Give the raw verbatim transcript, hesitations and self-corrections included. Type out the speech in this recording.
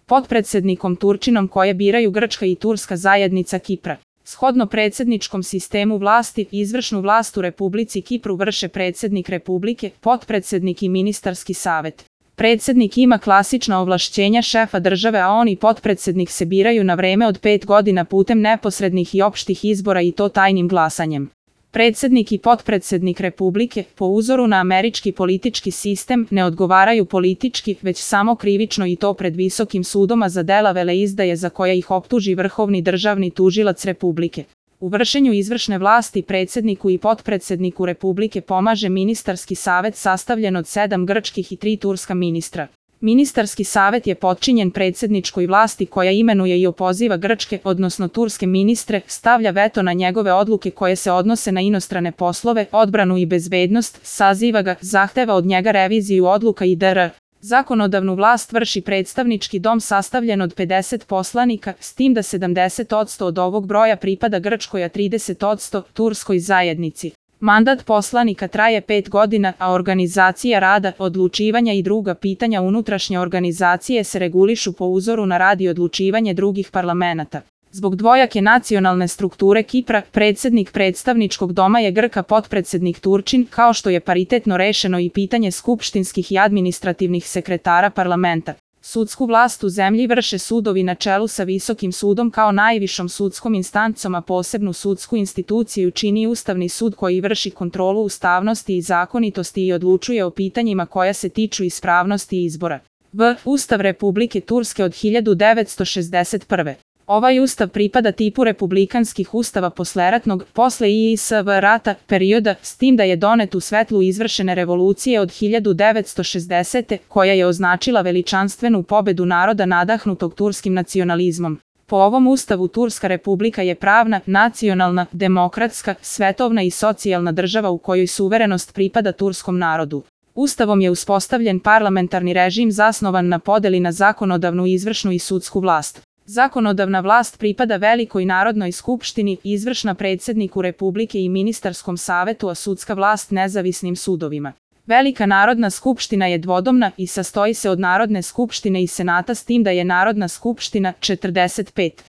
potpredsednikom Turčinom koje biraju Grčka i Turska zajednica Kipra. Shodno predsjedničkom sistemu vlasti, izvršnu vlast u Republici Kipru vrše predsjednik Republike, potpredsednik i ministarski savet. Predsjednik ima klasična ovlašćenja šefa države, a on i potpredsednik se biraju na vreme od pet godina putem neposrednih i opštih izbora i to tajnim glasanjem. Predsjednik i potpredsednik Republike, po uzoru na američki politički sistem, ne odgovaraju politički, već samo krivično i to pred visokim sudom, a za dela veleizdaje za koja ih optuži vrhovni državni tužilac Republike. U vršenju izvršne vlasti predsjedniku i potpredsedniku Republike pomaže ministarski savet sastavljen od sedam grčkih i tri turska ministra. Ministarski savet je potčinjen predsjedničkoj vlasti koja imenuje i opoziva grčke, odnosno turske ministre, stavlja veto na njegove odluke koje se odnose na inostrane poslove, odbranu i bezbednost, saziva ga, zahteva od njega reviziju odluka itd. Zakonodavnu vlast vrši predstavnički dom sastavljen od pedeset poslanika, s tim da sedamdeset posto od ovog broja pripada Grčkoj, a trideset posto turskoj zajednici. Mandat poslanika traje pet godina, a organizacija rada, odlučivanja i druga pitanja unutrašnje organizacije se regulišu po uzoru na rad i odlučivanje drugih parlamenata. Zbog dvojake nacionalne strukture Kipra, predsjednik predstavničkog doma je Grk, a potpredsednik Turčin, kao što je paritetno rešeno i pitanje skupštinskih i administrativnih sekretara parlamenta. Sudsku vlast u zemlji vrše sudovi na čelu sa Visokim sudom kao najvišom sudskom instancom, a posebnu sudsku instituciju čini Ustavni sud koji vrši kontrolu ustavnosti i zakonitosti i odlučuje o pitanjima koja se tiču ispravnosti izbora. V. Ustav Republike Turske od hiljadu devetsto šezdeset prve. Ovaj ustav pripada tipu republikanskih ustava posleratnog, posle I I S V rata, perioda, s tim da je donet u svetlu izvršene revolucije od hiljadu devetsto šezdesete. koja je označila veličanstvenu pobedu naroda nadahnutog turskim nacionalizmom. Po ovom ustavu Turska republika je pravna, nacionalna, demokratska, svetovna i socijalna država u kojoj suverenost pripada turskom narodu. Ustavom je uspostavljen parlamentarni režim zasnovan na podeli na zakonodavnu, izvršnu i sudsku vlast. Zakonodavna vlast pripada Velikoj narodnoj skupštini, izvršna predsjedniku Republike i ministarskom savetu, a sudska vlast nezavisnim sudovima. Velika narodna skupština je dvodomna i sastoji se od Narodne skupštine i Senata, s tim da je Narodna skupština četrdeset pet